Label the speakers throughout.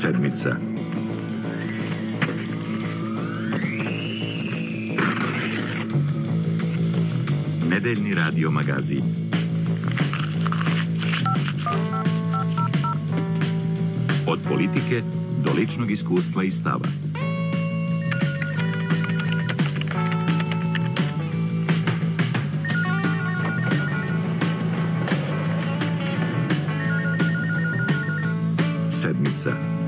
Speaker 1: Sedmica. Nedeljni radio magazin. Od politike do ličnog iskustva i stava. Sedmica.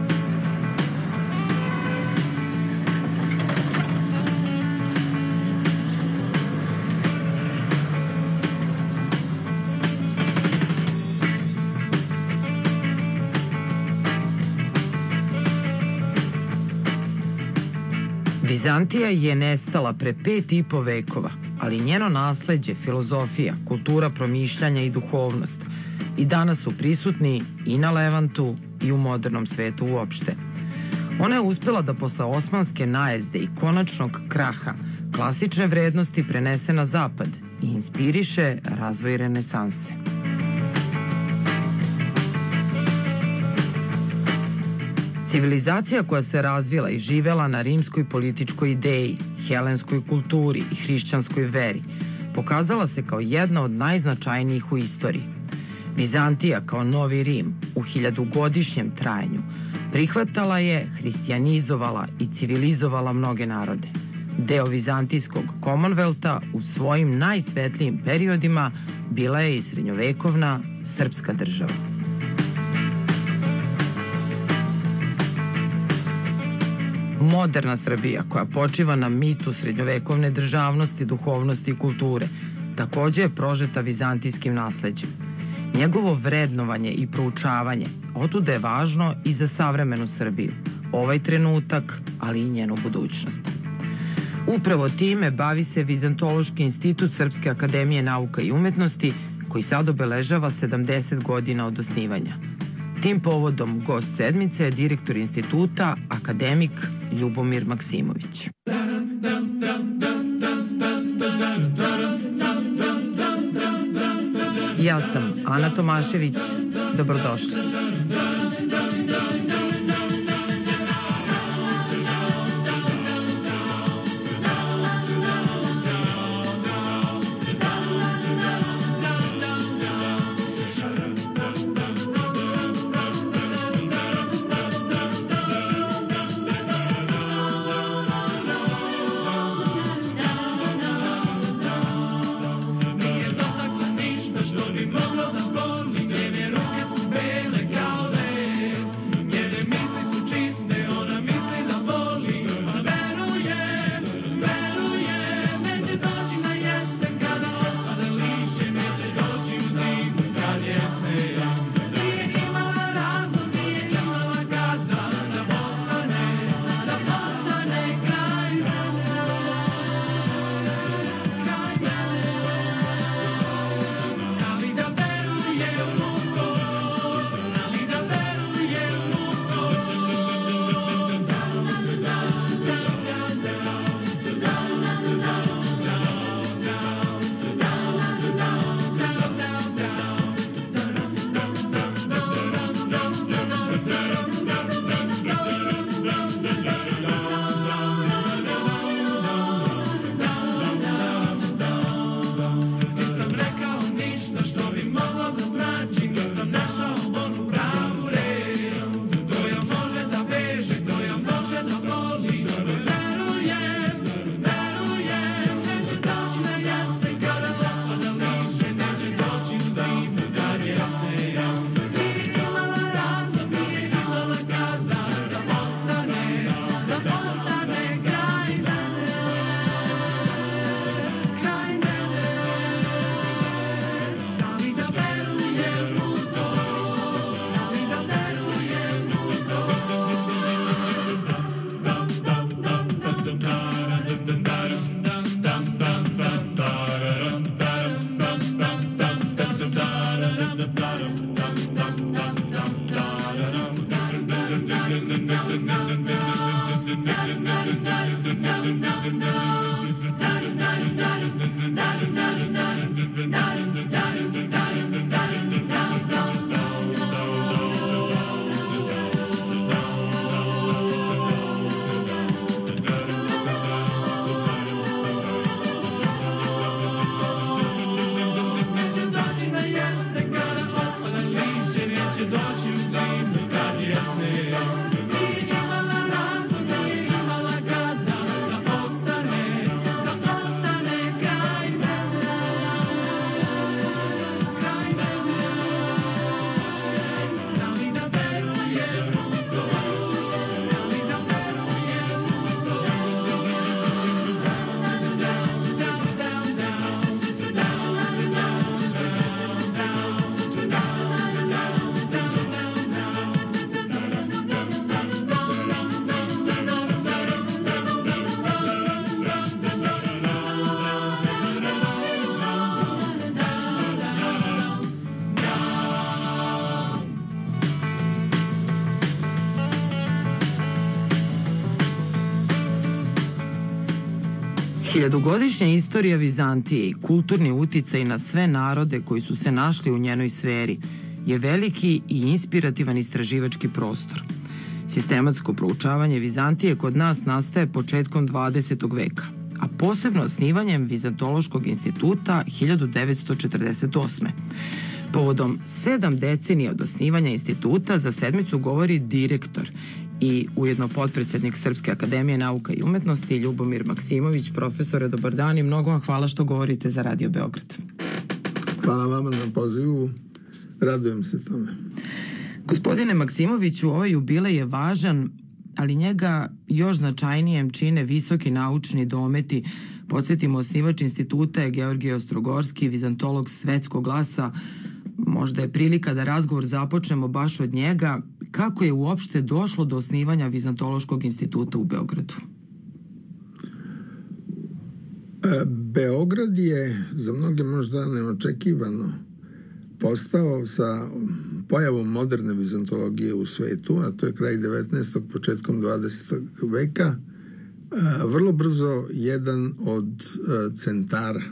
Speaker 2: Vizantija je nestala pre 5,5 vekova, ali njeno nasleđe, filozofija, kultura promišljanja i duhovnost i danas su prisutni i na Levantu i u modernom svetu uopšte. Ona je uspela da posle osmanske najezde i konačnog kraha klasične vrednosti prenese na zapad i inspiriše razvoj renesanse. Civilizacija koja se razvila i živela na rimskoj političkoj ideji, helenskoj kulturi i hrišćanskoj veri, pokazala se kao jedna od najznačajnijih u istoriji. Vizantija kao novi Rim u 1000-godišnjem trajanju prihvatala je, hrišćanizovala i civilizovala mnoge narode. Deo vizantijskog Commonwealtha u svojim najsvetlijim periodima bila je i srednjovekovna srpska država. Moderna Srbija, koja počiva na mitu srednjovekovne državnosti, duhovnosti i kulture, takođe je prožeta vizantijskim nasleđem. Njegovo vrednovanje i proučavanje otuda je važno i za savremenu Srbiju, ovaj trenutak, ali i njenu budućnost. Upravo time bavi se Vizantološki institut Srpske akademije nauka i umetnosti, koji sad obeležava 70 godina od osnivanja. Tim povodom gost sedmice je direktor instituta, akademik Ljubomir Maksimović. Ja sam Ana Tomašević. Dobrodošli. Hiljadugodišnja istorija Vizantije i kulturni uticaj na sve narode koji su se našli u njenoj sferi je veliki i inspirativan istraživački prostor. Sistematsko proučavanje Vizantije kod nas nastaje početkom 20. veka, a posebno osnivanjem Vizantološkog instituta 1948. Povodom 7 decenija od osnivanja instituta za sedmicu govori direktor i ujedno potpredsjednik Srpske akademije nauka i umetnosti Ljubomir Maksimović. Profesore, dobar dan i mnogo vam hvala što govorite za Radio Beograd.
Speaker 3: Hvala vama na pozivu, radujem se tome.
Speaker 2: Gospodine Maksimoviću, ovaj jubilej je važan, ali njega još značajnijem čine visoki naučni dometi. Podsjetimo, osnivač instituta je Georgije Ostrogorski, vizantolog svetskog glasa. Možda je prilika da razgovor započnemo baš od njega. Kako je uopšte došlo do osnivanja Vizantološkog instituta u Beogradu?
Speaker 3: Beograd je za mnoge možda neočekivano postao sa pojavom moderne vizantologije u svetu, a to je kraj 19. početkom 20. veka, vrlo brzo jedan od centara,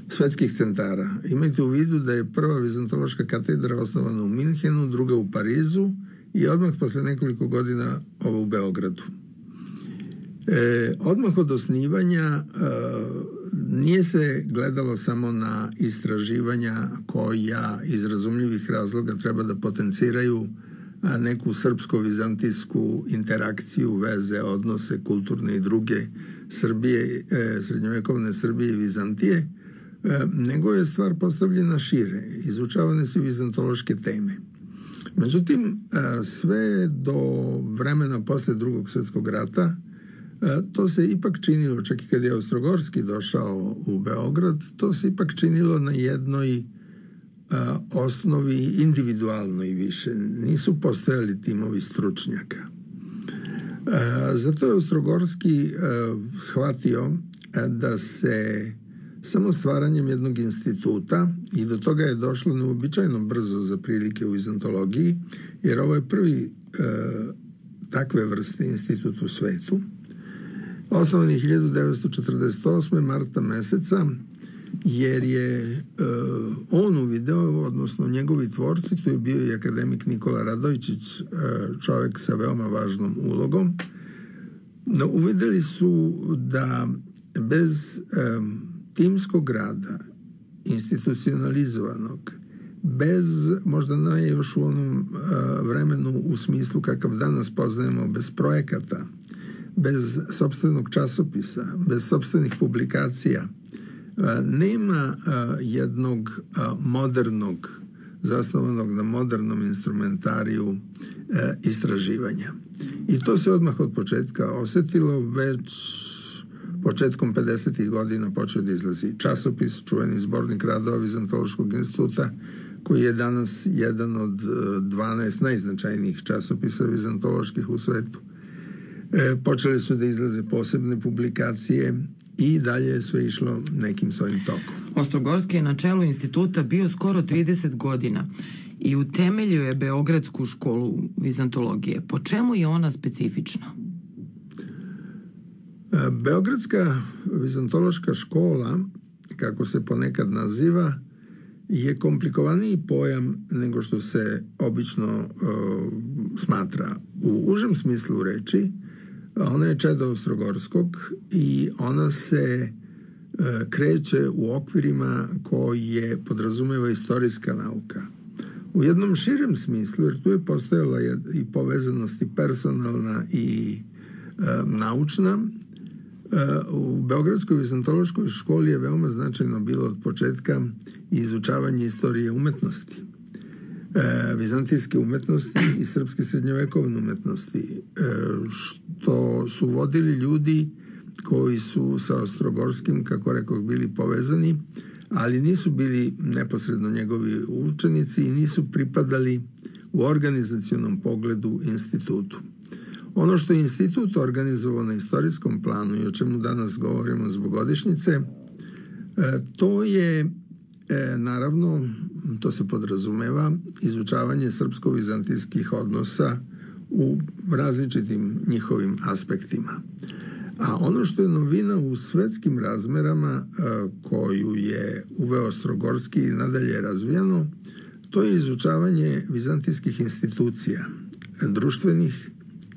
Speaker 3: svetskih centara. Imajte u vidu da je prva vizantološka katedra osnovana u Minhenu, druga u Parizu i odmah posle nekoliko godina ova u Beogradu. Odmah od osnivanja nije se gledalo samo na istraživanja koja iz razumljivih razloga treba da potenciraju neku srpsko-vizantijsku interakciju, veze, odnose kulturne i druge Srbije, srednjovekovne Srbije i Vizantije, nego je stvar postavljena šire. Izučavane su vizantološke teme. Međutim, sve do vremena posle Drugog svjetskog rata to se ipak činilo, čak i kad je Ostrogorski došao u Beograd, to se ipak činilo na jednoj osnovi individualno i više. Nisu postojali timovi stručnjaka. Zato je Ostrogorski shvatio da se samo stvaranjem jednog instituta, i do toga je došlo neobičajno brzo za prilike u vizantologiji, jer ovo je prvi takve vrste institut u svetu, osnovan je 1948. marta meseca, jer je on uvideo, odnosno njegovi tvorci, tu je bio i akademik Nikola Radojčić, čovjek sa veoma važnom ulogom, no uvideli su da bez timskog rada, institucionalizovanog, bez, možda ne još u onom vremenu u smislu kakav danas poznajemo, bez projekata, bez sopstvenog časopisa, bez sopstvenih publikacija, nema jednog modernog, zasnovanog na modernom instrumentariju istraživanja. I to se odmah od početka osetilo, već početkom 50. godina počeo da izlazi časopis, čuveni zbornik radova Vizantološkog instituta, koji je danas jedan od 12 najznačajnijih časopisa vizantoloških u svetu. Počeli su da izlaze posebne publikacije i dalje je sve išlo nekim svojim tokom.
Speaker 2: Ostrogorski je na čelu instituta bio skoro 30 godina i utemeljio je Beogradsku školu vizantologije. Po čemu je ona specifična?
Speaker 3: Beogradska vizantološka škola, kako se ponekad naziva, je komplikovaniji pojam nego što se obično smatra. U užem smislu reči, ona je čeda Ostrogorskog i ona se kreće u okvirima koje podrazumeva istorijska nauka. U jednom širem smislu, jer tu je postojala i povezanost i personalna i naučna, u Beogradskoj vizantološkoj školi je veoma značajno bilo od početka izučavanje istorije umetnosti, vizantijske umetnosti i srpske srednjovekovne umetnosti, što su vodili ljudi koji su sa Ostrogorskim, kako rekoh, bili povezani, ali nisu bili neposredno njegovi učenici i nisu pripadali u organizacionom pogledu institutu. Ono što je institut organizovao na istorijskom planu i o čemu danas govorimo zbog godišnjice, to je naravno, to se podrazumeva, izučavanje srpsko-vizantijskih odnosa u različitim njihovim aspektima. A ono što je novina u svetskim razmerama koju je uveo Ostrogorski i nadalje razvijeno, to je izučavanje vizantijskih institucija, društvenih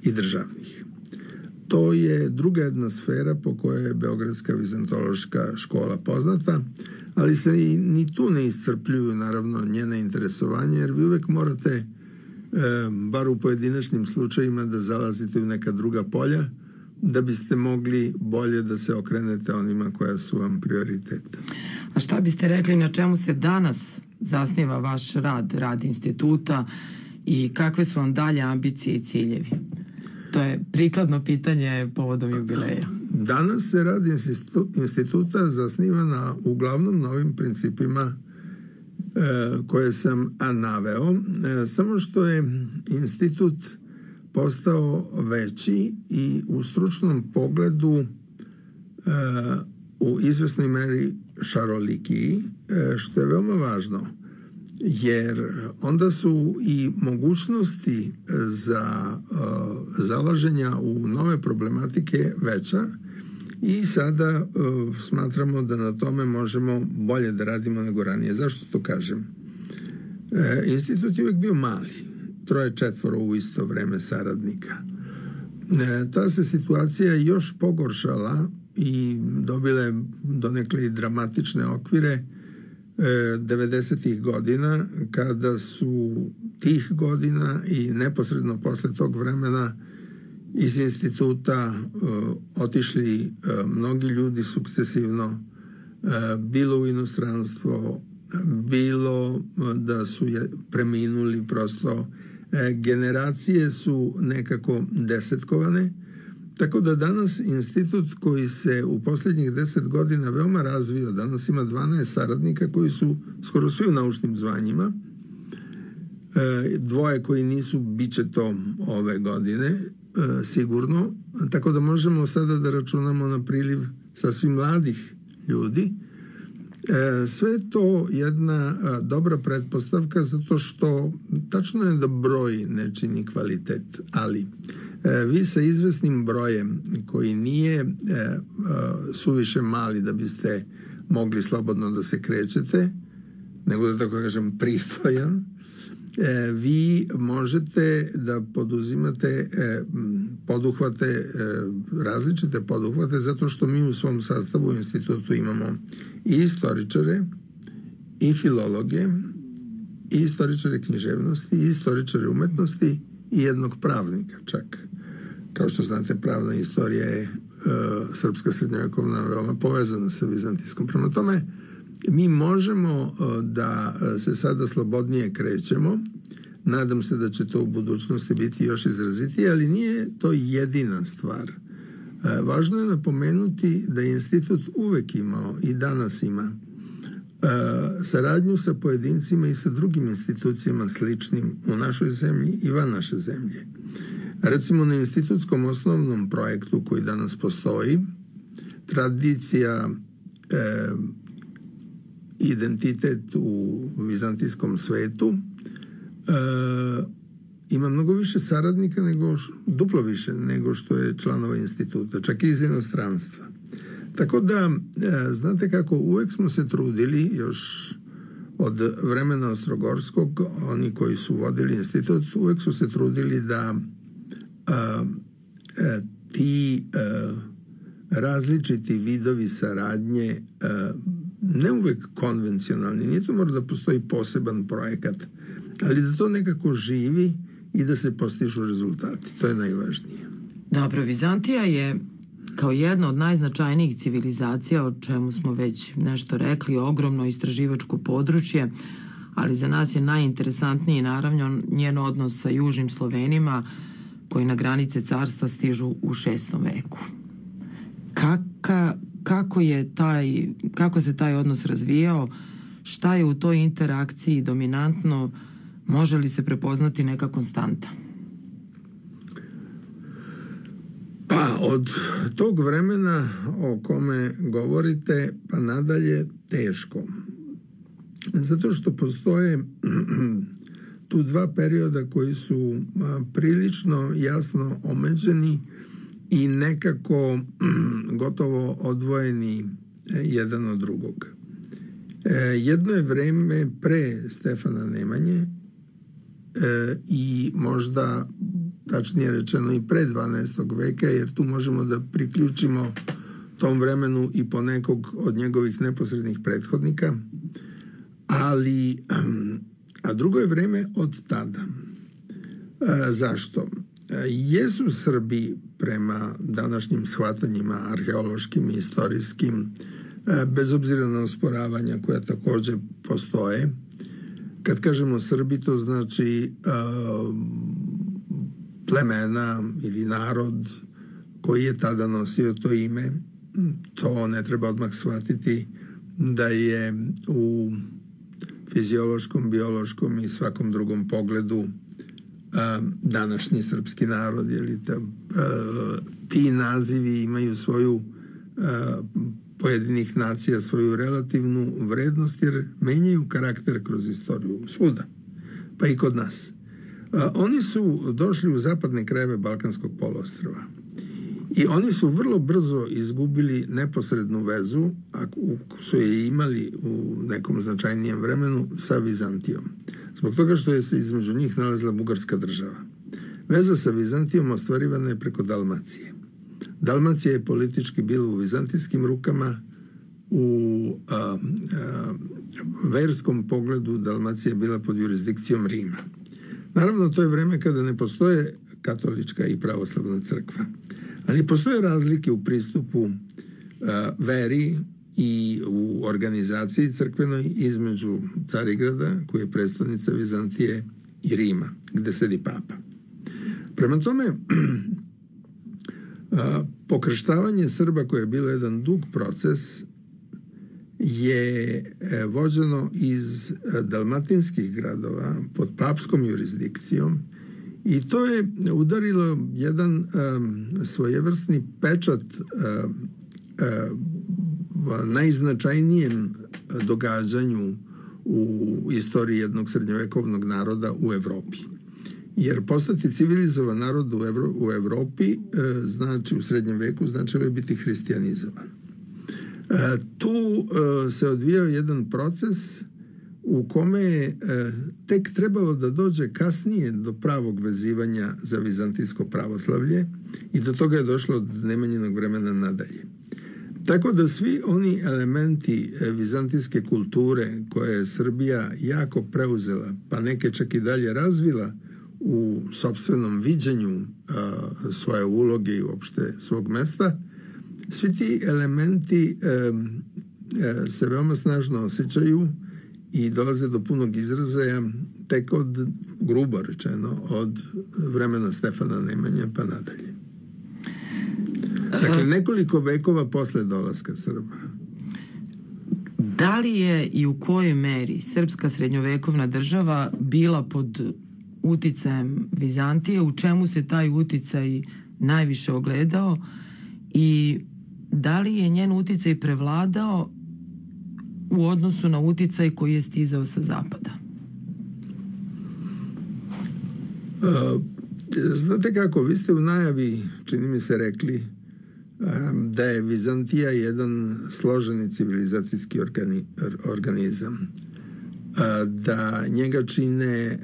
Speaker 3: i državnih. To je druga jedna sfera po kojoj je Beogradska vizantološka škola poznata, ali se ni tu ne iscrpljuju naravno njena interesovanja, jer vi uvek morate, bar u pojedinačnim slučajima, da zalazite u neka druga polja, da biste mogli bolje da se okrenete onima koja su vam prioritet.
Speaker 2: A šta biste rekli, na čemu se danas zasniva vaš rad instituta i kakve su vam dalje ambicije i ciljevi? To je prikladno pitanje povodom jubileja.
Speaker 3: Danas se rad instituta zasniva na uglavnom novim principima koje sam naveo, samo što je institut postao veći i u stručnom pogledu u izvesnoj meri šarolikiji, što je veoma važno, jer onda su i mogućnosti za zalaženja u nove problematike veća i sada smatramo da na tome možemo bolje da radimo nego ranije. Zašto to kažem? Institut je uvijek bio mali, 3-4 u isto vreme saradnika. Ta se situacija još pogoršala i dobila je donekle i dramatične okvire 90-ih godina, kada su tih godina i neposredno posle tog vremena iz instituta otišli mnogi ljudi sukcesivno, bilo u inostranstvo, bilo da su preminuli, prosto generacije su nekako desetkovane, tako da danas institut koji se u posljednjih 10 godina veoma razvio, danas ima 12 saradnika koji su skoro svi u naučnim zvanjima, 2 koji nisu, bit će to ove godine sigurno, tako da možemo sada da računamo na priliv sasvim mladih ljudi. Sve je to jedna dobra pretpostavka, zato što tačno je da broj ne čini kvalitet, ali vi sa izvesnim brojem koji nije suviše mali da biste mogli slobodno da se krećete, nego da tako kažem pristojan, vi možete da poduzimate poduhvate, različite poduhvate, zato što mi u svom sastavu u institutu imamo i istoričare, i filologe, i istoričare književnosti, i istoričare umetnosti i jednog pravnika čak. Kao što znate, pravna istorija je srpska srednjovekovna veoma povezana sa vizantijskom. Prema tome, mi možemo da se sada slobodnije krećemo. Nadam se da će to u budućnosti biti još izrazitije, ali nije to jedina stvar. Važno je napomenuti da je institut uvek imao i danas ima saradnju sa pojedincima i sa drugim institucijama sličnim u našoj zemlji i van naše zemlje. Recimo na institutskom osnovnom projektu koji danas postoji, tradicija, identitet u vizantijskom svetu, ima mnogo više saradnika, duplo više nego što je članova instituta, čak i iz inostranstva. Tako da, znate kako, uvek smo se trudili, još od vremena Ostrogorskog, oni koji su vodili institut, uvek su se trudili da ti različiti vidovi saradnje, ne uvek konvencionalni, nije to mora da postoji poseban projekat, ali da to nekako živi i da se postižu rezultati. To je najvažnije.
Speaker 2: Dobro, Vizantija je kao jedna od najznačajnijih civilizacija, o čemu smo već nešto rekli, ogromno istraživačko područje, ali za nas je najinteresantniji naravno njen odnos sa južnim Slovenima, koji na granice carstva stižu u 6. veku. Kako se taj odnos razvijao, šta je u toj interakciji dominantno, može li se prepoznati neka konstanta?
Speaker 3: Pa od tog vremena o kome govorite pa nadalje teško. Zato što postoje tu 2 perioda koji su prilično jasno omeđeni i nekako gotovo odvojeni jedan od drugog. Jedno je vreme pre Stefana Nemanje i možda, tačnije rečeno, i pre 12. veka, jer tu možemo da priključimo tom vremenu i po nekog od njegovih neposrednih prethodnika, ali a drugo je vreme od tada. Zašto? Jesu Srbi prema današnjim shvatanjima arheološkim i istorijskim, bez obzira na osporavanja koja takođe postoje. Kad kažemo Srbi, to znači plemena ili narod koji je tada nosio to ime. To ne treba odmah shvatiti da je u fiziološkom, biološkom i svakom drugom pogledu današnji srpski narod, jer ti nazivi imaju svoju pojedinih nacija svoju relativnu vrednost, jer menjaju karakter kroz istoriju svuda, pa i kod nas. Oni su došli u zapadne krajeve Balkanskog poluostrva i oni su vrlo brzo izgubili neposrednu vezu, ako su je imali u nekom značajnijem vremenu, sa Vizantijom. Zbog toga što je se između njih nalazila bugarska država. Veza sa Vizantijom ostvarivana je preko Dalmacije. Dalmacija je politički bila u vizantijskim rukama, u verskom pogledu Dalmacija je bila pod jurisdikcijom Rima. Naravno, to je vreme kada ne postoje katolička i pravoslavna crkva, ali postoje razlike u pristupu veri i u organizaciji crkvenoj između Carigrada, koji je predstavnica Vizantije, i Rima, gde sedi papa. Prema tome, pokrštavanje Srba, koje je bilo jedan dug proces, je vođeno iz dalmatinskih gradova pod papskom jurisdikcijom i to je udarilo jedan svojevrsni pečat najznačajnijem događanju u istoriji jednog srednjovekovnog naroda u Evropi. Jer postati civilizovan narod u Evropi, znači u srednjem veku, značilo je biti hrišćanizovan. Tu se odvijao jedan proces u kome je tek trebalo da dođe kasnije do pravog vezivanja za vizantijsko pravoslavlje i do toga je došlo od Nemanjinog vremena nadalje. Tako da svi oni elementi vizantijske kulture koje je Srbija jako preuzela, pa neke čak i dalje razvila u sopstvenom viđenju svoje uloge i uopšte svog mesta, svi ti elementi se veoma snažno osjećaju i dolaze do punog izražaja tek od, grubo rečeno, od vremena Stefana Nemanje pa nadalje. Dakle, nekoliko vekova posle dolaska Srba.
Speaker 2: Da li je i u kojoj meri srpska srednjovekovna država bila pod uticajem Vizantije, u čemu se taj uticaj najviše ogledao i da li je njen uticaj prevladao u odnosu na uticaj koji je stizao sa zapada?
Speaker 3: Znate kako, vi ste u najavi, čini mi se, rekli da je Vizantija jedan složeni civilizacijski organizam, da njega čine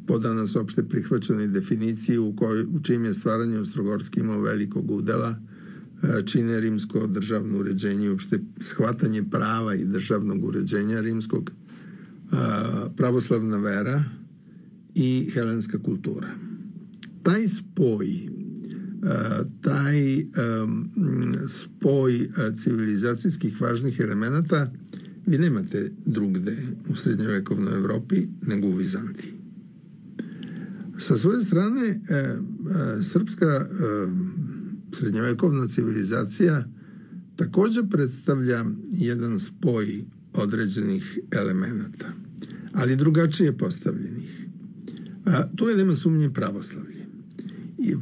Speaker 3: po danas opšte prihvaćenoj definiciji u čijim je stvaranje Ostrogorski imao velikog udela, čine rimsko državno uređenje, uopšte shvatanje prava i državnog uređenja rimskog, pravoslavna vera i helenska kultura. Taj spoj civilizacijskih važnih elemenata vi nemate drugde u srednjovekovnoj Evropi nego u Vizantiji. Sa svoje strane, srpska srednjovekovna civilizacija također predstavlja jedan spoj određenih elemenata, ali drugačije postavljenih. Tu je, nema sumnje, pravoslavlje. I,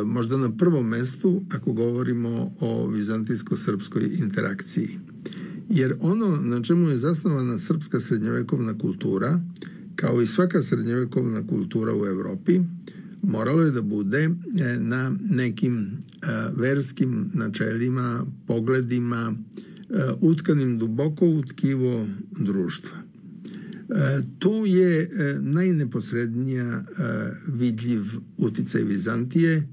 Speaker 3: možda na prvom mestu ako govorimo o vizantijsko-srpskoj interakciji. Jer ono na čemu je zasnovana srpska srednjovekovna kultura, kao i svaka srednjovekovna kultura u Evropi, moralo je da bude na nekim verskim načelima, pogledima, utkanim duboko u tkivo društva. Tu je najneposrednija vidljiv uticaj Vizantije,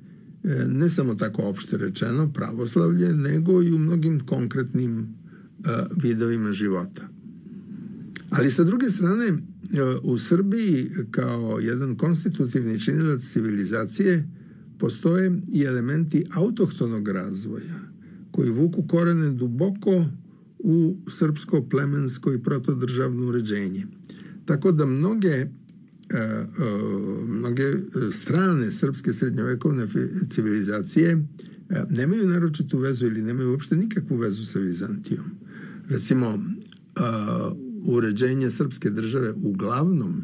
Speaker 3: ne samo tako opšte rečeno pravoslavlje, nego i u mnogim konkretnim vidovima života. Ali sa druge strane, u Srbiji kao jedan konstitutivni činilac civilizacije postoje i elementi autohtonog razvoja koji vuku korene duboko u srpsko, plemensko i protodržavno uređenje. Tako da mnoge strane srpske srednjovekovne civilizacije nemaju naročitu vezu ili nemaju uopšte nikakvu vezu sa Vizantijom. Recimo, uređenje srpske države uglavnom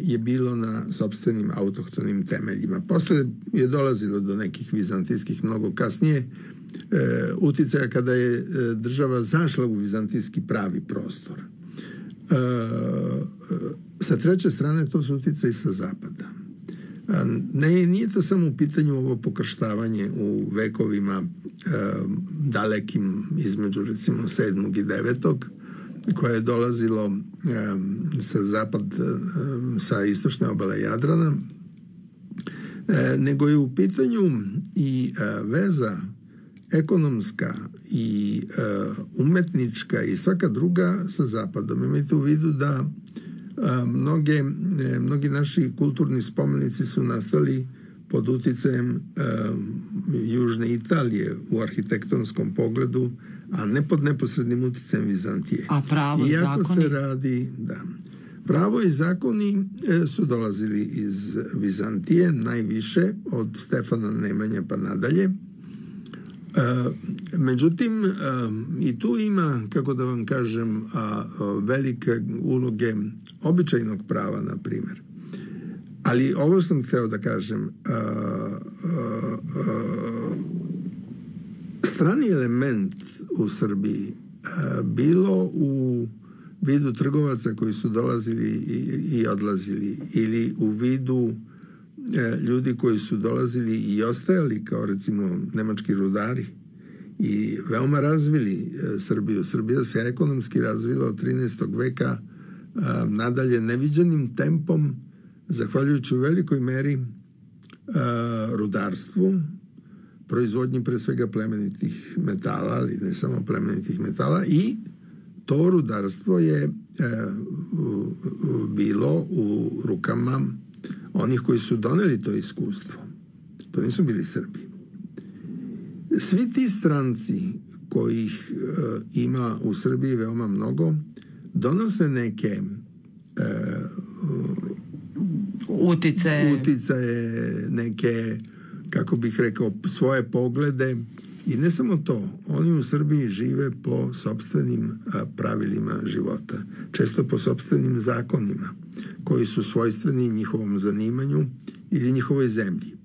Speaker 3: je bilo na sopstvenim autohtonim temeljima. Posle je dolazilo do nekih vizantijskih mnogo kasnije uticaja kada je država zašla u vizantijski pravi prostor. Sa treće strane to su uticaji sa zapada. Nije to samo u pitanju ovo pokrštavanje u vekovima dalekim između recimo 7. i 9. koje je dolazilo sa zapad, sa istočne obale Jadrana, nego je u pitanju i veza ekonomska i umetnička i svaka druga sa zapadom. Imajte u vidu da mnogi naši kulturni spomenici su nastali pod uticajem Južne Italije u arhitektonskom pogledu, a ne pod neposrednim uticajem Vizantije.
Speaker 2: A pravo i
Speaker 3: iako
Speaker 2: zakoni?
Speaker 3: Se radi, da. Pravo i zakoni su dolazili iz Vizantije, najviše od Stefana Nemanje pa nadalje. Međutim, i tu ima, kako da vam kažem, velike uloge običajnog prava, na primjer. Ali ovo sam hteo da kažem, strani element u Srbiji, bilo u vidu trgovaca koji su dolazili i odlazili, ili u vidu ljudi koji su dolazili i ostajali, kao recimo nemački rudari, i veoma razvili Srbiju. Srbija se ekonomski razvila od 13. veka nadalje neviđenim tempom, zahvaljujući u velikoj meri rudarstvu, proizvodnji pre svega plemenitih metala, ali ne samo plemenitih metala, i to rudarstvo je bilo u rukama onih koji su doneli to iskustvo. To nisu bili Srbi. Svi ti stranci kojih ima u Srbiji veoma mnogo, donose neke uticaje, neke, kako bih rekao, svoje poglede. I ne samo to, oni u Srbiji žive po sopstvenim pravilima života, često po sopstvenim zakonima, koji su svojstveni njihovom zanimanju ili njihovoj zemlji.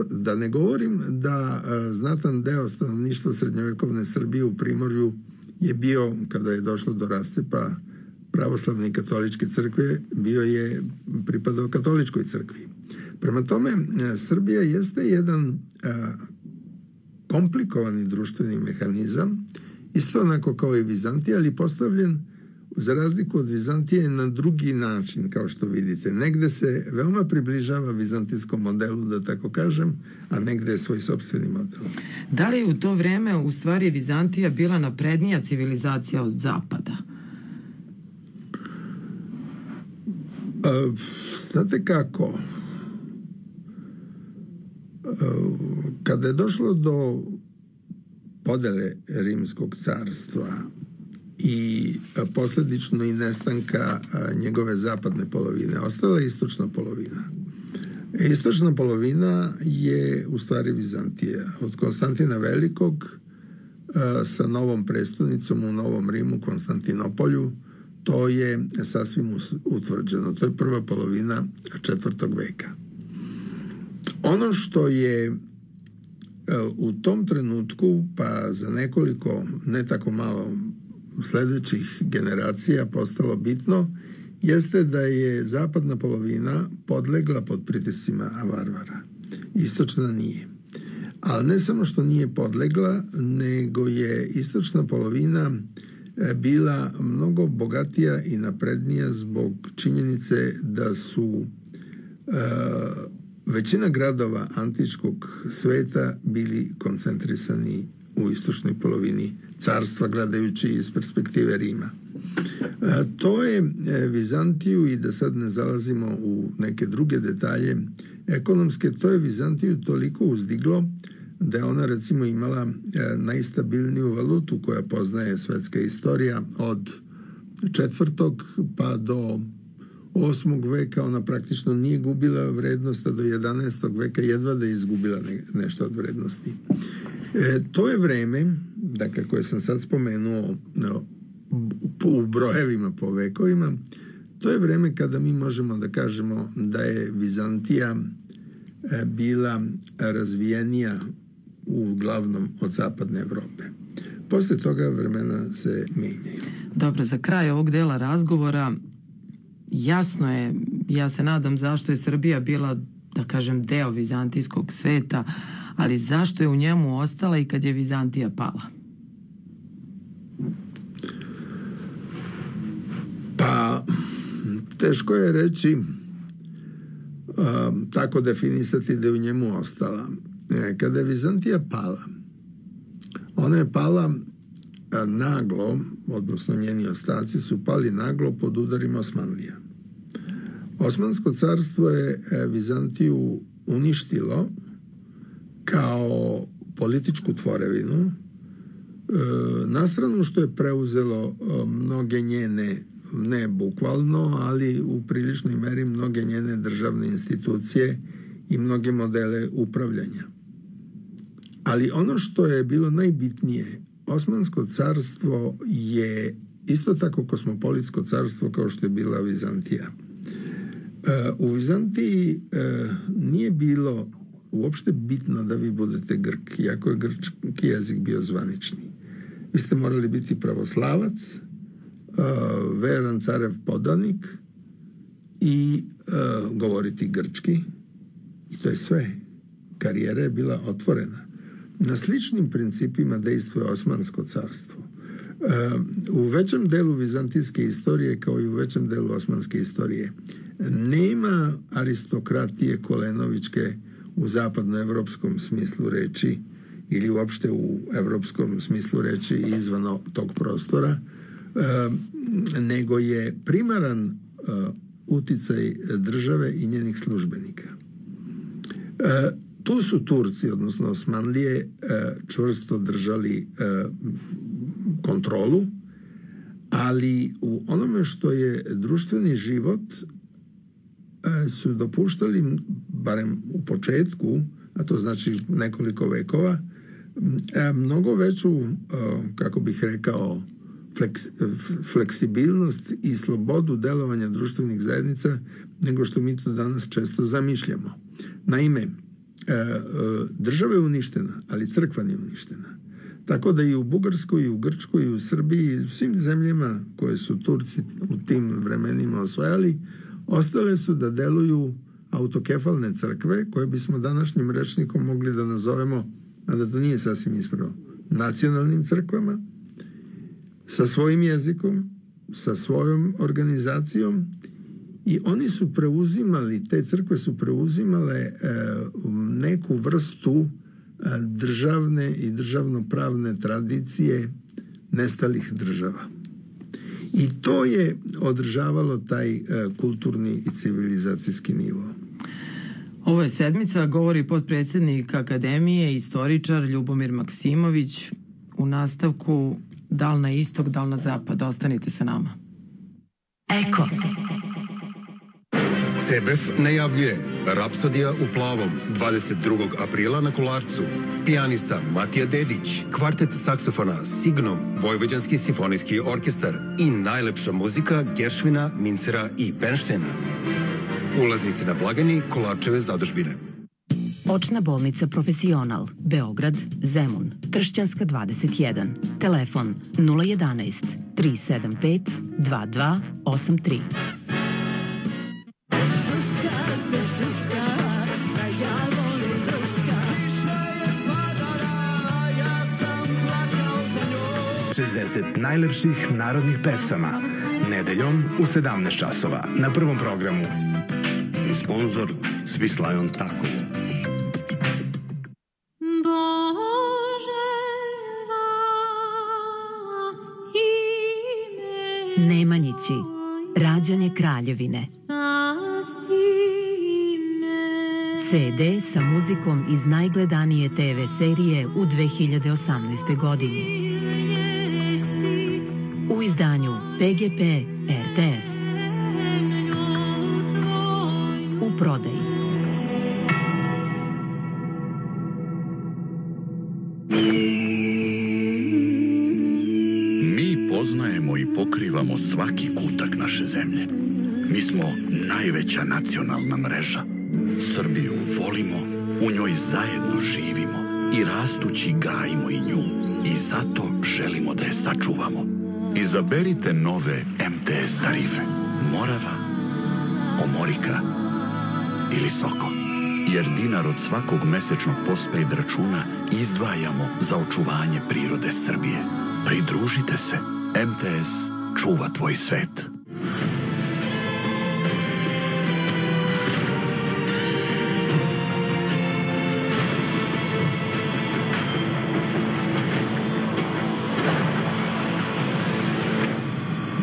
Speaker 3: Da ne govorim da znatan deo stanovništva srednjovekovne Srbije u Primorju je bio, kada je došlo do rascepa pravoslavne i katoličke crkve, pripadao katoličkoj crkvi. Prema tome, Srbija jeste jedan komplikovani društveni mehanizam, isto onako kao i Vizantija, ali postavljen za razliku od Vizantije na drugi način, kao što vidite. Negde se veoma približava vizantijskom modelu, da tako kažem, a negde je svoj sopstveni model.
Speaker 2: Da li je u to vreme u stvari Vizantija bila naprednija civilizacija od zapada?
Speaker 3: Znate kako? Kada je došlo do podele Rimskog carstva i posledično i nestanka njegove zapadne polovine, ostala je istočna polovina. Istočna polovina je u stvari Vizantija. Od Konstantina Velikog sa novom prestonicom u Novom Rimu, Konstantinopolju, to je sasvim utvrđeno. To je prva polovina 4. veka. Ono što je u tom trenutku, pa za nekoliko, ne tako malo sledećih generacija postalo bitno, jeste da je zapadna polovina podlegla pod pritiscima varvara. Istočna nije. Ali ne samo što nije podlegla, nego je istočna polovina bila mnogo bogatija i naprednija zbog činjenice da su većina gradova antičkog sveta bili koncentrisani u istočnoj polovini carstva, gledajući iz perspektive Rima. To je Vizantiju, i da sad ne zalazimo u neke druge detalje ekonomske, to je Vizantiju toliko uzdiglo da je ona recimo imala najstabilniju valutu koja poznaje svetska istorija od 4. pa do 8. veka. Ona praktično nije gubila vrednost, a do 11. veka jedva da je izgubila nešto od vrednosti. To je vreme, dakle, koje sam sad spomenuo u brojevima po vekovima, to je vreme kada mi možemo da kažemo da je Vizantija bila razvijenija uglavnom od zapadne Evrope. Posle toga vremena se menjaju.
Speaker 2: Dobro, za kraj ovog dela razgovora jasno je, ja se nadam zašto je Srbija bila, da kažem, deo vizantijskog sveta, ali zašto je u njemu ostala i kad je Vizantija pala?
Speaker 3: Pa, teško je reći, tako definisati da je u njemu ostala. Kada je Vizantija pala, ona je pala naglo, odnosno njeni ostaci su pali naglo pod udarima Osmanlija. Osmansko carstvo je Vizantiju uništilo kao političku tvorevinu, na stranu što je preuzelo mnoge njene, ne bukvalno, ali u priličnoj meri mnoge njene državne institucije i mnoge modele upravljanja. Ali ono što je bilo najbitnije, Osmansko carstvo je isto tako kosmopolitsko carstvo kao što je bila Vizantija. U Vizantiji nije bilo uopšte bitno da vi budete Grk, iako je grčki jezik bio zvanični. Vi ste morali biti pravoslavac, veran carev podanik i govoriti grčki, i to je sve. Karijera je bila otvorena. Na sličnim principima dejstvuje Osmansko carstvo. U većem delu vizantijske istorije, kao i u većem delu osmanske istorije, nema aristokratije kolenovičke u zapadnoevropskom smislu reči ili uopšte u evropskom smislu reči izvan tog prostora, nego je primaran uticaj države i njenih službenika. Tu su Turci, odnosno Osmanlije, čvrsto držali kontrolu, ali u onome što je društveni život su dopuštali, barem u početku, a to znači nekoliko vekova, mnogo veću, kako bih rekao, fleksibilnost i slobodu delovanja društvenih zajednica nego što mi to danas često zamišljamo. Naime, država je uništena, ali crkva nije uništena. Tako da i u Bugarskoj, i u Grčkoj, i u Srbiji, i u svim zemljama koje su Turci u tim vremenima osvajali, ostale su da deluju autokefalne crkve, koje bismo današnjim rečnikom mogli da nazovemo, a da to nije sasvim ispravno, nacionalnim crkvama, sa svojim jezikom, sa svojom organizacijom, i oni su preuzimali, te crkve su preuzimale neku vrstu državne i državnopravne tradicije nestalih država. I to je održavalo taj kulturni i civilizacijski nivo.
Speaker 2: Ovo je Sedmica, govori potpredsjednik Akademije, istoričar Ljubomir Maksimović. U nastavku, da li na istok, da li na zapad. Ostanite sa nama.
Speaker 4: Eko.
Speaker 5: CBF najavljuje Rapsodija u plavom 22. aprila na Kolarcu. Pijanista Matija Dedić, kvartet saksofona Signom, Vojvođanski simfonijski orkestar i najlepša muzika Geršvina, Mincera i Bernštejna. Ulaznice na blagajni Kolarčeve zadužbine.
Speaker 4: Očna bolnica Profesional, Beograd, Zemun, Tršćanska 21, telefon 011 375 2283.
Speaker 6: kad se šuška, da ja volim kruška. Više je padala, ja sam plakao za njom.
Speaker 7: 60 najlepših narodnih pesama. Nedeljom u 17 časova na Prvom programu.
Speaker 8: Sponzor Svislajon Takovo.
Speaker 4: Nemanjići, rađanje kraljevine. CD sa muzikom iz najgledanije TV serije u 2018. godini. U izdanju PGP RTS. U prodaji.
Speaker 9: Mi poznajemo i pokrivamo svaki kutak naše zemlje. Mi smo najveća nacionalna mreža. Srbiju volimo, u njoj zajedno živimo i rastući gajimo i nju. I zato želimo da je sačuvamo. Izaberite nove MTS tarife. Morava, Omorika ili Soko. Jer dinar od svakog mesečnog postpaid računa izdvajamo za očuvanje prirode Srbije. Pridružite se. MTS čuva tvoj svet.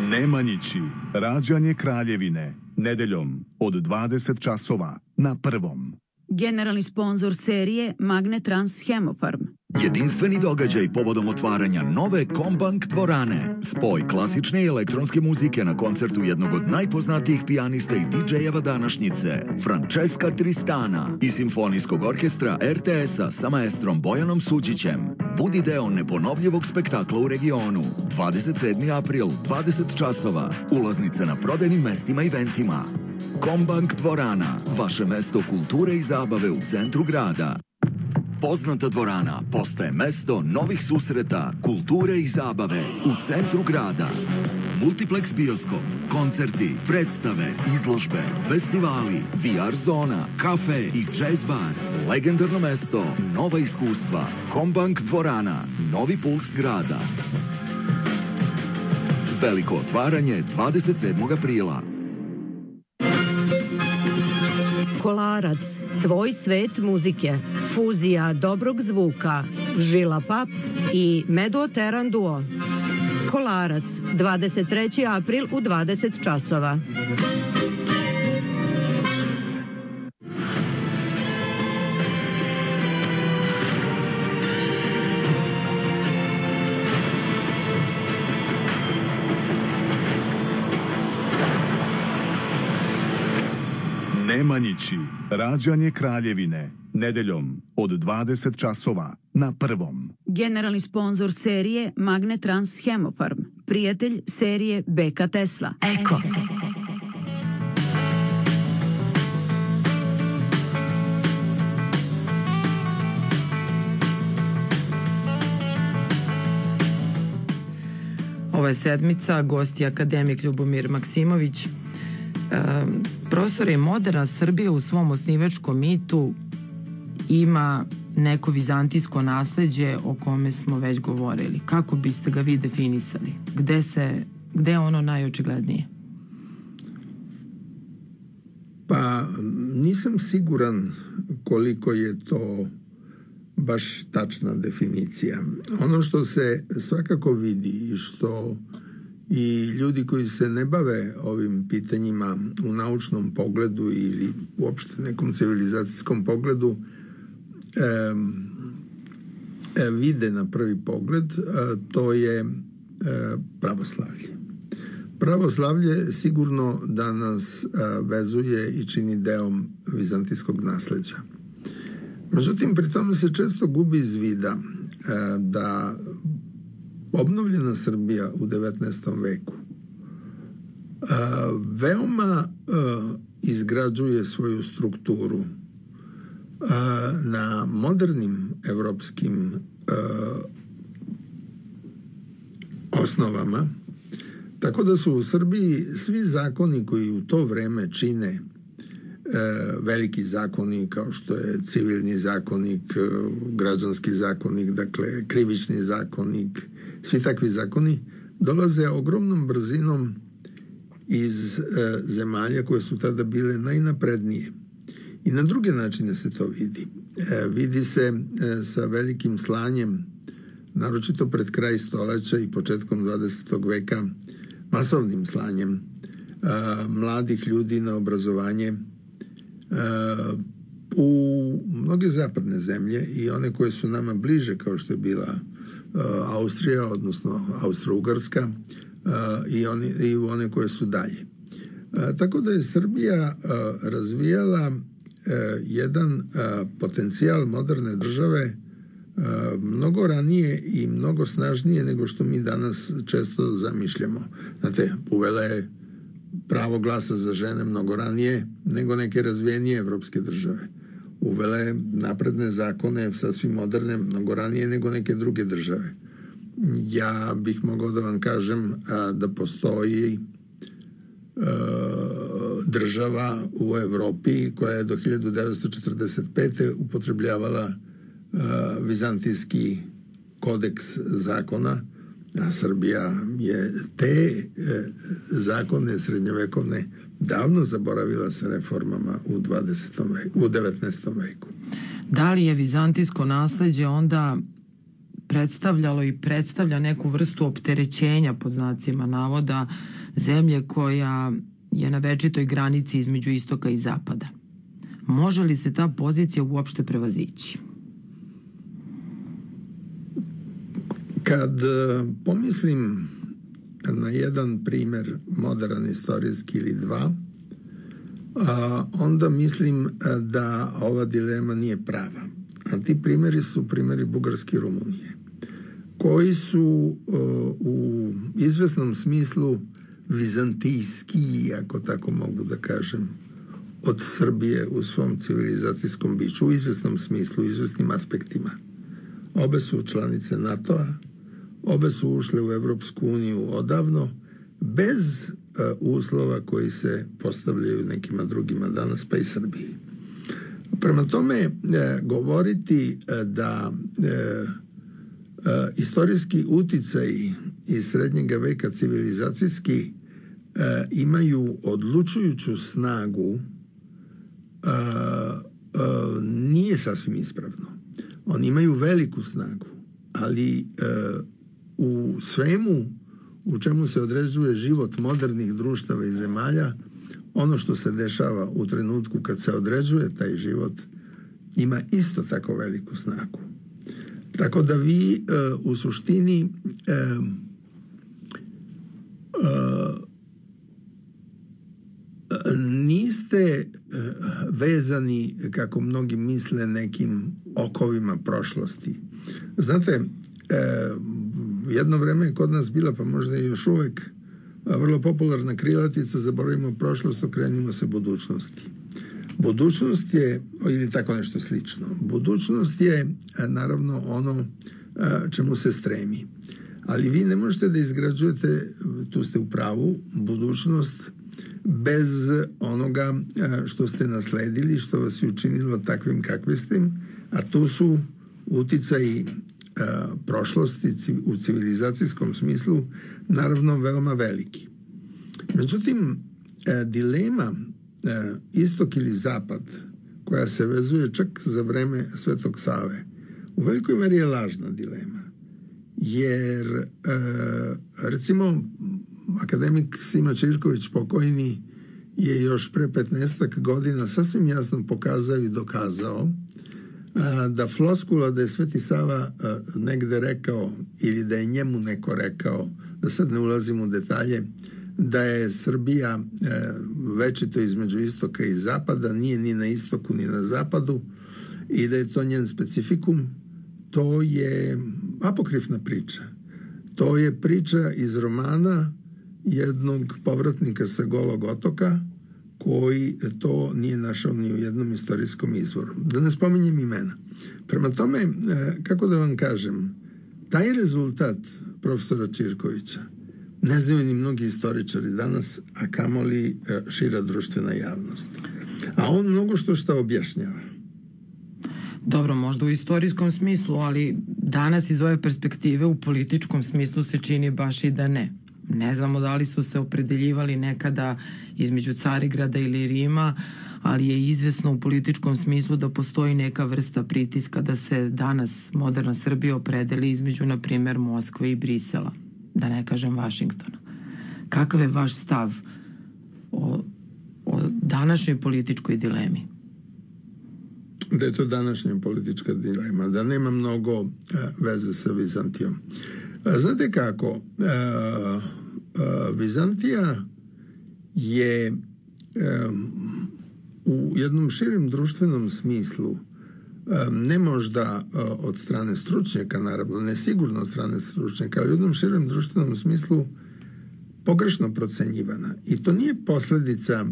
Speaker 10: Nemanjići, rađanje kraljevine, nedeljom od 20 časova na Prvom.
Speaker 11: Generalni sponzor serije Magnetrans Hemofarm.
Speaker 12: Jedinstveni događaj povodom otvaranja nove Kombank dvorane. Spoj klasične i elektronske muzike na koncertu jednog od najpoznatijih pijanista i DJ-eva današnjice, Francesca Tristana, i simfonijskog orkestra RTS-a sa maestrom Bojanom Suđićem. Budi deo neponovljivog spektakla u regionu. 27. april, 20 časova. Ulaznice na prodajnim mestima i eventima. Kombank dvorana, vaše mesto kulture i zabave u centru grada. Poznata dvorana postaje mesto novih susreta, kulture i zabave u centru grada. Multiplex bioskop, koncerti, predstave, izložbe, festivali, VR zona, kafe i jazz bar. Legendarno mesto, nova iskustva. Kombank dvorana, novi puls grada. Veliko otvaranje 27. aprila.
Speaker 13: Kolarac, tvoj svet muzike, fuzija dobrog zvuka, Žila Pap i Meduo Teran Duo. Kolarac, 23. april u 20 časova.
Speaker 10: Nemanjići, rađanje kraljevine, nedeljom od 20 časova na Prvom.
Speaker 11: Generalni sponzor serije Magnetrans Hemofarm. Prijatelj serije BK Tesla.
Speaker 4: Eko.
Speaker 2: Ova je sedmica, gost je akademik Ljubomir Maksimović. Profesor, je moderna Srbija u svom osnivačkom mitu ima neko vizantijsko nasleđe o kome smo već govorili. Kako biste ga vi definisali? Gde je ono najočiglednije?
Speaker 3: Pa nisam siguran koliko je to baš tačna definicija. Ono što se svakako vidi i što i ljudi koji se ne bave ovim pitanjima u naučnom pogledu ili uopšte nekom civilizacijskom pogledu vide na prvi pogled, to je pravoslavlje. Pravoslavlje sigurno da nas vezuje i čini deom vizantijskog nasleđa. Međutim, pri tome se često gubi iz vida da obnovljena Srbija u 19. veku veoma izgrađuje svoju strukturu na modernim evropskim osnovama, tako da su u Srbiji svi zakoni koji u to vreme čine veliki zakoni kao što je civilni zakonik, građanski zakonik, dakle krivični zakonik, svi takvi zakoni dolaze ogromnom brzinom iz zemalja koje su tada bile najnaprednije. I na druge načine se to vidi. Vidi se sa velikim slanjem, naročito pred kraj stoljeća i početkom 20. veka, masovnim slanjem mladih ljudi na obrazovanje u mnoge zapadne zemlje i one koje su nama bliže, kao što je bila Austrija, odnosno Austro-Ugarska, i u one koje su dalje. Tako da je Srbija razvijala jedan potencijal moderne države mnogo ranije i mnogo snažnije nego što mi danas često zamišljamo. Znate, uvela je pravo glasa za žene mnogo ranije nego neke razvijenije evropske države. Uvela je napredne zakone, sasvim moderne, mnogo ranije nego neke druge države. Ja bih mogao da vam kažem da postoji država u Evropi koja je do 1945. upotrebljavala vizantijski kodeks zakona, a Srbija je te zakone srednjovekovne davno zaboravila sa reformama u 19. veku.
Speaker 2: Da li je vizantijsko nasleđe onda predstavljalo i predstavlja neku vrstu opterećenja, pod znacima navoda, zemlje koja je na večitoj granici između istoka i zapada? Može li se ta pozicija uopšte prevazići?
Speaker 3: Kad pomislim na jedan primer, moderan istorijski ili dva, onda mislim da ova dilema nije prava. A ti primjeri su primjeri Bugarske i Rumunije, koji su u izvesnom smislu vizantijski, ako tako mogu da kažem, od Srbije u svom civilizacijskom biću, u izvesnom smislu, u izvesnim aspektima. Obe su članice NATO-a, obe su ušle u Evropsku uniju odavno, bez uslova koji se postavljaju nekima drugima danas, pa i Srbiji. Prema tome, govoriti da istorijski uticaj iz srednjega veka civilizacijski imaju odlučujuću snagu nije sasvim ispravno. Oni imaju veliku snagu, ali u svemu u čemu se određuje život modernih društava i zemalja, ono što se dešava u trenutku kad se određuje taj život ima isto tako veliku snagu. Tako da vi u suštini niste vezani, kako mnogi misle, nekim okovima prošlosti. Znate, jedno vreme je kod nas bila, pa možda i još uvek, vrlo popularna krilatica: zaboravimo prošlost, okrenimo se budućnosti. Budućnost je, ili tako nešto slično, budućnost je naravno ono čemu se stremi. Ali vi ne možete da izgrađujete, tu ste u pravu, budućnost bez onoga što ste nasledili, što vas je učinilo takvim kakvi ste, a tu su uticaji prošlosti u civilizacijskom smislu naravno veoma veliki. Međutim, dilema istok ili zapad, koja se vezuje čak za vreme Svetog Save, u velikoj meri je lažna dilema. Jer recimo akademik Sima Čirković pokojni je još pre 15 godina sasvim jasno pokazao i dokazao da floskula da je Sveti Sava negde rekao ili da je njemu neko rekao, da sad ne ulazim u detalje, da je Srbija večito između istoka i zapada, nije ni na istoku ni na zapadu i da je to njen specifikum, to je apokrifna priča. To je priča iz romana jednog povratnika sa Golog otoka koji to nije našao ni u jednom istorijskom izvoru. Da ne spominjem imena. Prema tome, kako da vam kažem, taj rezultat profesora Čirkovića ne znaju ni mnogi istoričari danas, a kamoli šira društvena javnost. A on mnogo šta objašnjava.
Speaker 2: Dobro, možda u istorijskom smislu, ali danas iz ove perspektive u političkom smislu se čini baš i da ne. Ne znamo da li su se opredeljivali nekada između Carigrada ili Rima, ali je izvesno u političkom smislu da postoji neka vrsta pritiska da se danas moderna Srbija opredeli između, na primjer, Moskve i Brisela, da ne kažem Vašingtona. Kakav je vaš stav o današnjoj političkoj dilemi?
Speaker 3: Da je to današnja politička dilema, da nema mnogo veze sa Vizantijom. Znate kako, Vizantija je u jednom širem društvenom smislu, ne možda od strane stručnjaka, naravno, ne sigurno od strane stručnjaka, ali u jednom širem društvenom smislu pogrešno procenjivana. I to nije posljedica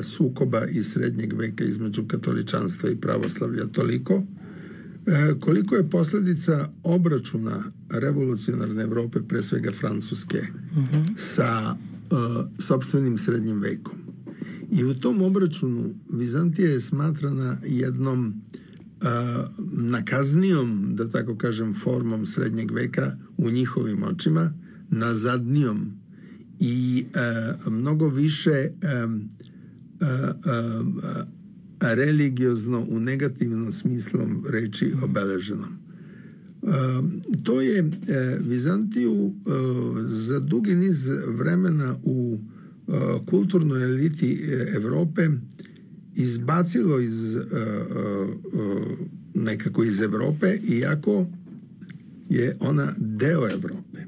Speaker 3: sukoba iz srednjeg veka između katoličanstva i pravoslavlja toliko, koliko je posljedica obračuna revolucionarne Evrope, pre svega Francuske, sa sopstvenim srednjim vekom. I u tom obračunu Vizantija je smatrana jednom nakaznijom, da tako kažem, formom srednjeg veka u njihovim očima, nazadnijom i mnogo više religiozno u negativnom smislom reči obeleženom. To je Vizantiju za dugi niz vremena u kulturnoj eliti Evrope izbacilo nekako iz Evrope, iako je ona deo Evrope.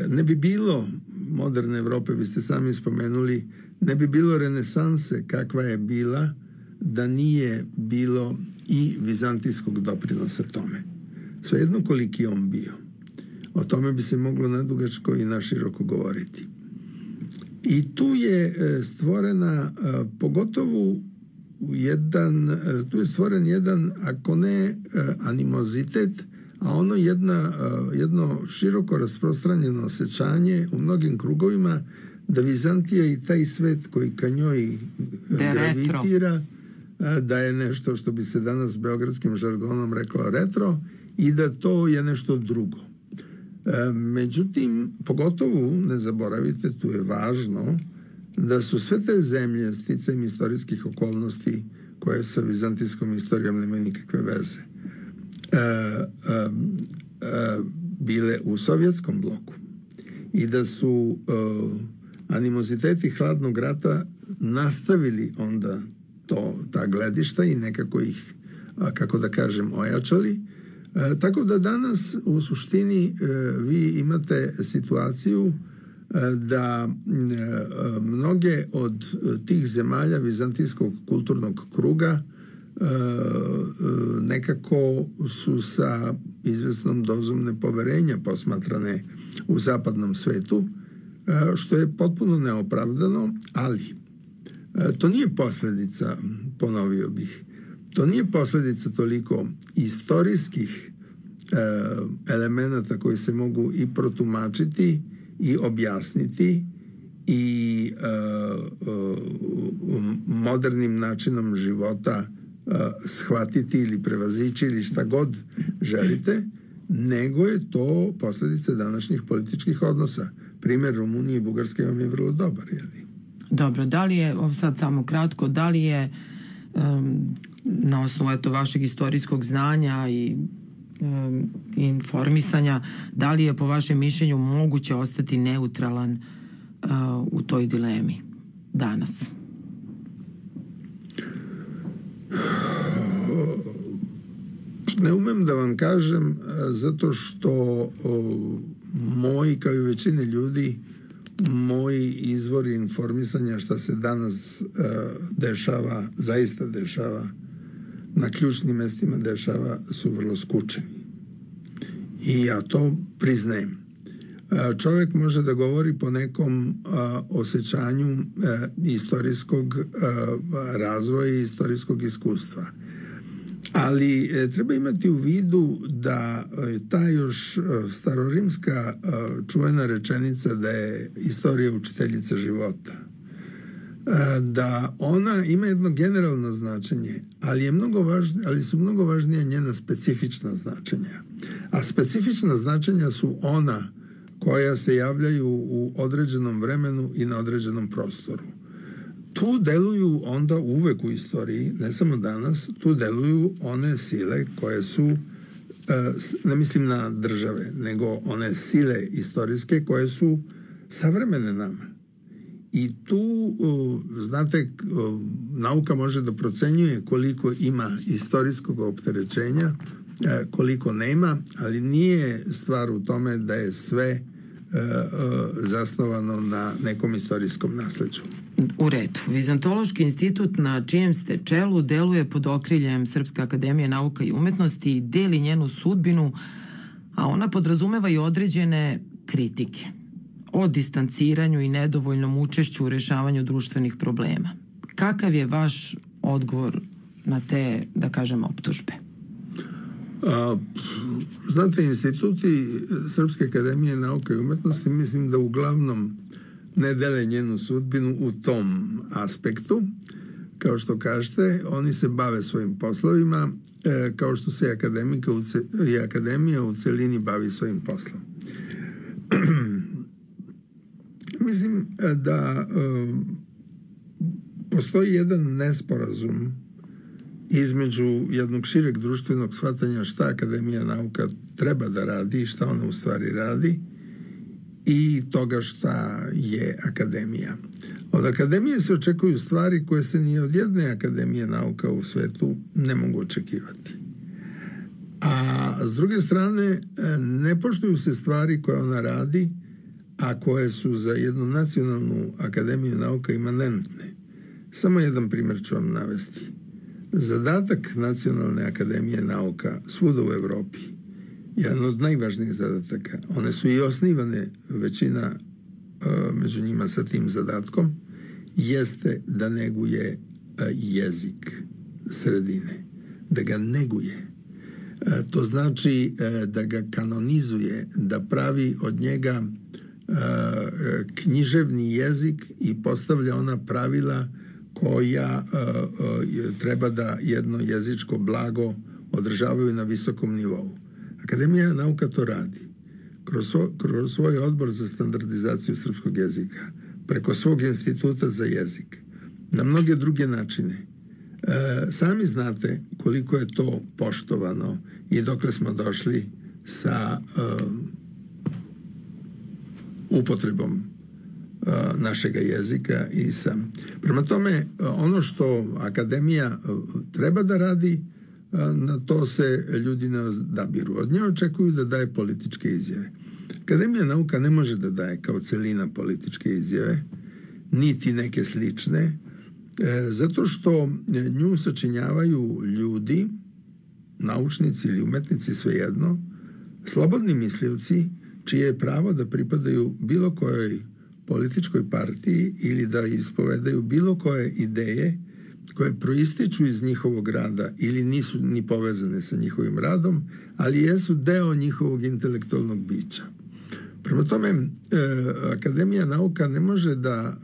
Speaker 3: Ne bi bilo moderne Evrope, vi ste sami spomenuli, ne bi bilo renesanse kakva je bila da nije bilo i vizantijskog doprinosa tome. Svejedno koliki je on bio. O tome bi se moglo nadugačko i naširoko govoriti. I tu je stvorena pogotovo tu je stvoren jedan, ako ne animozitet, a ono jedno široko rasprostranjeno osjećanje u mnogim krugovima da Vizantija i taj svet koji ka njoj gravitira, da je nešto što bi se danas beogradskim žargonom reklo retro i da to je nešto drugo. Međutim, pogotovo, ne zaboravite, tu je važno da su sve te zemlje sticajem istorijskih okolnosti koje sa vizantijskom istorijom nemaju nikakve veze, bile u sovjetskom bloku i da su animoziteti hladnog rata nastavili onda ta gledišta i nekako ih, kako da kažem, ojačali. Tako da danas u suštini vi imate situaciju da mnoge od tih zemalja vizantijskog kulturnog kruga nekako su sa izvesnom dozom nepoverenja posmatrane u zapadnom svetu, što je potpuno neopravdano, ali to nije posljedica, ponovio bih, to nije posljedica toliko istorijskih elemenata koji se mogu i protumačiti i objasniti i modernim načinom života shvatiti ili prevazići ili šta god želite, nego je to posljedica današnjih političkih odnosa. Primjer Rumunije i Bugarske vam je vrlo dobar, jeli?
Speaker 2: Dobro, da li je, sad samo kratko, da li je na osnovu vašeg istorijskog znanja i informisanja, da li je po vašem mišljenju moguće ostati neutralan u toj dilemi danas?
Speaker 3: Ne umem da vam kažem, zato što moji, kao i većine ljudi, moji izvori informisanja šta se danas dešava, zaista dešava, na ključnim mestima dešava, su vrlo skučeni. I ja to priznajem. Čovjek može da govori po nekom osjećanju istorijskog razvoja i istorijskog iskustva. Ali treba imati u vidu da ta još starorimska čuvena rečenica da je istorija učiteljica života, da ona ima jedno generalno značenje, ali su mnogo važnije njena specifična značenja. A specifična značenja su ona koja se javljaju u određenom vremenu i na određenom prostoru. Tu deluju onda uvek u istoriji, ne samo danas, tu deluju one sile koje su, ne mislim na države, nego one sile istorijske koje su savremene nama. I tu, znate, nauka može da procenjuje koliko ima istorijskog opterećenja, koliko nema, ali nije stvar u tome da je sve zasnovano na nekom istorijskom nasleđu.
Speaker 2: U redu. Vizantološki institut na čijem ste čelu deluje pod okriljem Srpske akademije nauka i umetnosti i deli njenu sudbinu, a ona podrazumeva i određene kritike o distanciranju i nedovoljnom učešću u rešavanju društvenih problema. Kakav je vaš odgovor na te, da kažem, optužbe?
Speaker 3: Znate, instituti Srpske akademije nauka i umetnosti mislim da uglavnom ne dele njenu sudbinu u tom aspektu. Kao što kažete, oni se bave svojim poslovima, kao što se i akademija u celini bavi svojim poslom. Mislim da postoji jedan nesporazum između jednog šireg društvenog shvatanja šta Akademija nauka treba da radi i šta ona u stvari radi i toga šta je akademija. Od akademije se očekuju stvari koje se ni od jedne akademije nauka u svetu ne mogu očekivati. A s druge strane, ne poštuju se stvari koje ona radi, a koje su za jednu nacionalnu akademiju nauka imanentne. Samo jedan primjer ću vam navesti. Zadatak Nacionalne akademije nauka svuda u Evropi, jedan od najvažnijih zadataka, one su i osnivane, većina među njima sa tim zadatkom, jeste da neguje jezik sredine, da ga neguje. To znači da ga kanonizuje, da pravi od njega književni jezik i postavlja ona pravila koja treba da jedno jezičko blago održavaju na visokom nivou. Akademija nauka to radi. Kroz svoj odbor za standardizaciju srpskog jezika, preko svog instituta za jezik, na mnoge druge načine. Sami znate koliko je to poštovano i dokle smo došli sa upotrebom našega jezika i sam. Prema tome, ono što akademija treba da radi, na to se ljudi ne odabiru. Od nje očekuju da daje političke izjave. Akademija nauka ne može da daje kao celina političke izjave, niti neke slične, zato što nju sačinjavaju ljudi, naučnici ili umetnici, svejedno, slobodni mislioci, čije je pravo da pripadaju bilo kojoj političkoj partiji ili da ispovedaju bilo koje ideje koje proističu iz njihovog rada ili nisu ni povezane sa njihovim radom, ali jesu deo njihovog intelektualnog bića. Prema tome, Akademija nauka ne može da,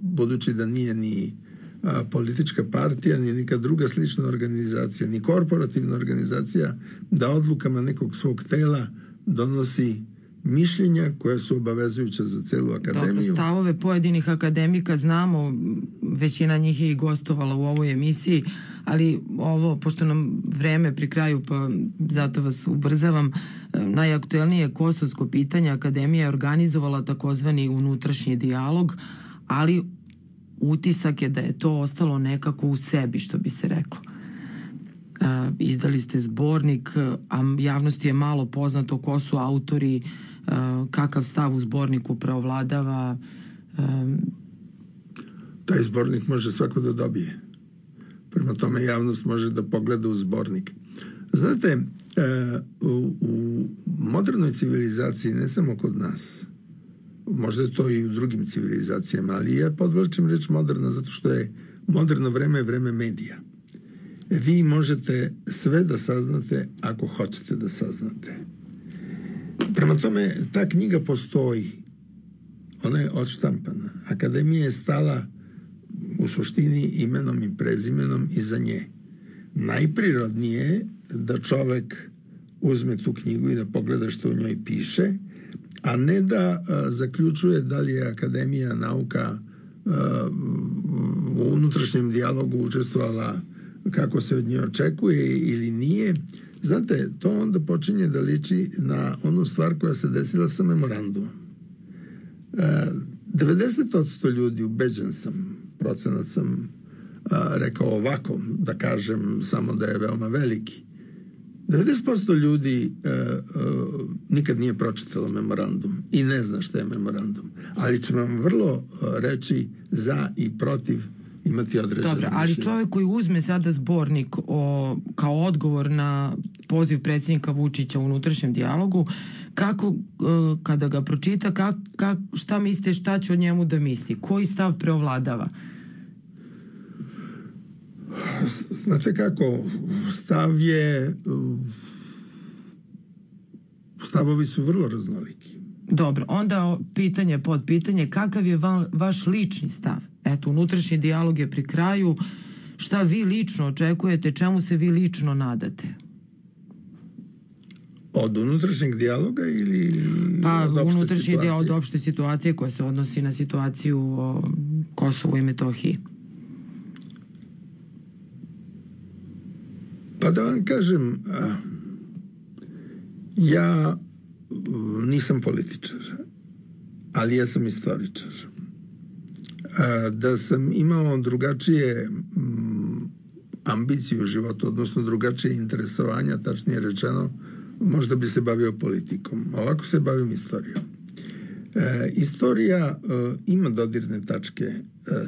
Speaker 3: budući da nije ni politička partija, ni neka druga slična organizacija, ni korporativna organizacija, da odlukama nekog svog tela donosi mišljenja koja su obavezujuća za celu akademiju.
Speaker 2: Dobro, stavove pojedinih akademika znamo, većina njih je i gostovala u ovoj emisiji, ali ovo, pošto nam vreme pri kraju, pa zato vas ubrzavam, najaktuelnije kosovsko pitanje, akademija je organizovala takozvani unutrašnji dijalog, ali utisak je da je to ostalo nekako u sebi, što bi se reklo. Izdali ste zbornik, a javnosti je malo poznato ko su autori, kakav stav u zborniku preovladava.
Speaker 3: Taj zbornik može svako da dobije. Prema tome javnost može da pogleda u zbornik. Znate, u modernoj civilizaciji, ne samo kod nas, možda je to i u drugim civilizacijama, ali ja podvlačim reč moderna zato što je moderno vreme vreme medija. Vi možete sve da saznate ako hoćete da saznate. Prema tome, ta knjiga postoji. Ona je odštampana. Akademija je stala u suštini imenom i prezimenom iza nje. Najprirodnije je da čovek uzme tu knjigu i da pogleda što u njoj piše, a ne da zaključuje da li je Akademija nauka u unutrašnjem dijalogu učestvovala kako se od nje očekuje ili nije. Znate, to onda počinje da liči na onu stvar koja se desila sa memorandumom. 90% ljudi, ubeđen sam, procenat sam rekao ovako, da kažem samo da je veoma veliki. 90% ljudi nikad nije pročitalo memorandum i ne zna šta je memorandum. Ali će vam vrlo reći za i protiv imati određene
Speaker 2: Dobro, ali čovjek koji uzme sada zbornik kao odgovor na poziv predsjednika Vučića u unutrašnjem dijalogu, kako, kada ga pročita, šta mislite, šta će o njemu da misli? Koji stav preovladava?
Speaker 3: Znate kako, stavovi su vrlo raznoliki.
Speaker 2: Dobro, onda podpitanje, kakav je vaš lični stav? Eto, unutrašnji dijalog je pri kraju. Šta vi lično očekujete, čemu se vi lično nadate?
Speaker 3: Od unutrašnjeg dijaloga ili od opšte
Speaker 2: unutrašnji
Speaker 3: situacije?
Speaker 2: dijal od opšte situacije koja se odnosi na situaciju o Kosovu i Metohiji.
Speaker 3: Pa da vam kažem, ja nisam političar, ali ja sam istoričar. Da sam imao drugačije ambicije u životu, odnosno drugačije interesovanja, tačnije rečeno, možda bi se bavio politikom. Ovako se bavim istorijom. Istorija ima dodirne tačke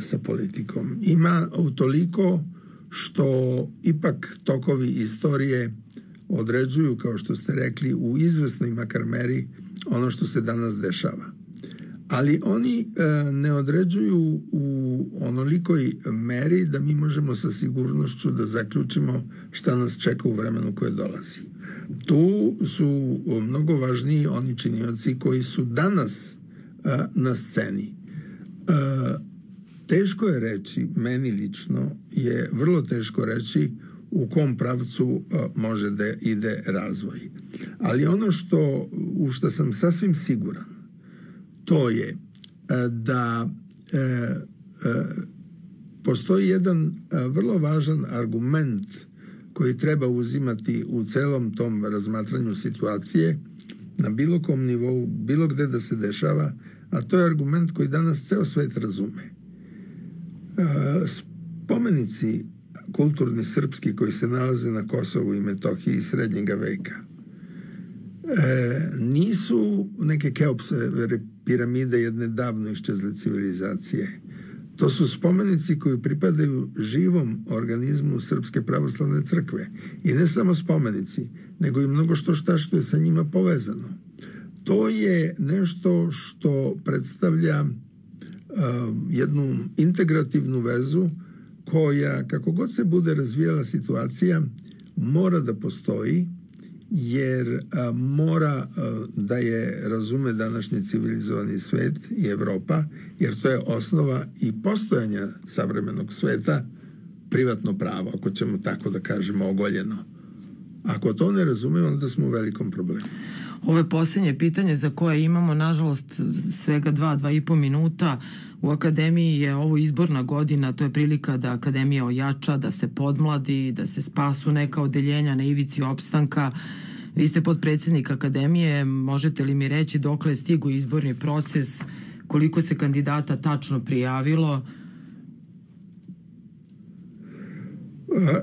Speaker 3: sa politikom. Ima utoliko što ipak tokovi istorije određuju, kao što ste rekli, u izvesnoj makar meri ono što se danas dešava. Ali oni ne određuju u onolikoj meri da mi možemo sa sigurnošću da zaključimo šta nas čeka u vremenu koje dolazi. Tu su mnogo važniji oni činioci koji su danas na sceni. Teško je reći, meni lično je vrlo teško reći u kom pravcu može da ide razvoj. Ali ono u što sam sasvim siguran, to je da postoji jedan vrlo važan argument koji treba uzimati u celom tom razmatranju situacije na bilo kom nivou, bilo gde da se dešava, a to je argument koji danas ceo svet razume. Spomenici kulturni srpski koji se nalaze na Kosovu i Metohiji iz srednjega veka nisu neke Keopsove piramide jedne davno iščezle civilizacije. To su spomenici koji pripadaju živom organizmu Srpske pravoslavne crkve. I ne samo spomenici, nego i mnogo šta što je sa njima povezano. To je nešto što predstavlja jednu integrativnu vezu koja, kako god se bude razvijala situacija, mora da postoji, jer mora da je razume današnji civilizovani svet i Evropa, jer to je osnova i postojanja savremenog sveta, privatno pravo, ako ćemo tako da kažemo ogoljeno. Ako to ne razume, onda smo u velikom problemu.
Speaker 2: Ovo je posljednje pitanje za koje imamo, nažalost, svega 2,5 minuta. U Akademiji je ovo izborna godina, to je prilika da Akademija ojača, da se podmladi, da se spasu neka odeljenja na ivici opstanka. Vi ste potpredsjednik Akademije, možete li mi reći dokle je stigao izborni proces, koliko se kandidata tačno prijavilo?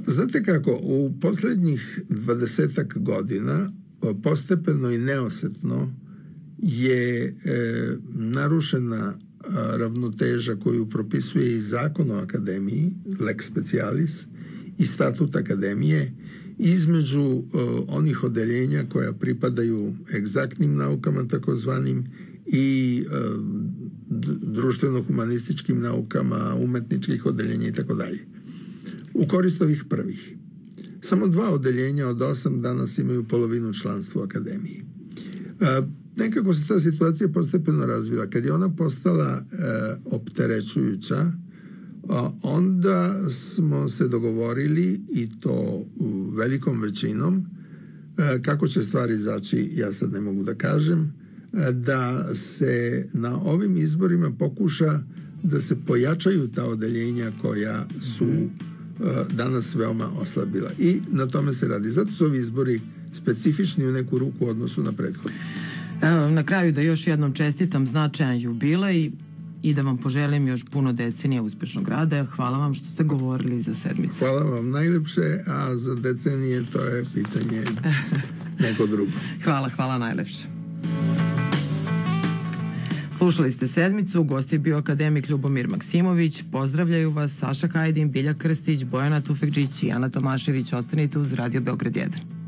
Speaker 3: Znate kako, u poslednjih 20-ak godina postepeno i neosetno je narušena ravnoteža koju propisuje i zakon o Akademiji, lex specialis, i statut Akademije, između onih odeljenja koja pripadaju egzaktnim naukama takozvanim i društveno-humanističkim naukama, umetničkih odeljenja i tako dalje. U korist ovih prvih. Samo 2 odeljenja od 8 danas imaju polovinu članstva u Akademiji. Nekako se ta situacija postepeno razvila. Kad je ona postala opterećujuća, Onda smo se dogovorili, i to velikom većinom, kako će stvari izaći, ja sad ne mogu da kažem, da se na ovim izborima pokuša da se pojačaju ta odeljenja koja su danas veoma oslabila. I na tome se radi. Zato su ovi izbori specifični u neku ruku u odnosu na prethodne.
Speaker 2: Na kraju da još jednom čestitam značajan jubilej i da vam poželim još puno decenija uspešnog rada. Hvala vam što ste govorili za sedmicu.
Speaker 3: Hvala vam najlepše, a za decenije to je pitanje neko drugo.
Speaker 2: Hvala najlepše. Slušali ste sedmicu, gost je bio akademik Ljubomir Maksimović. Pozdravljaju vas Saša Hajdin, Bilja Krstić, Bojana Tufekđić i Ana Tomašević. Ostanite uz Radio Beograd 1.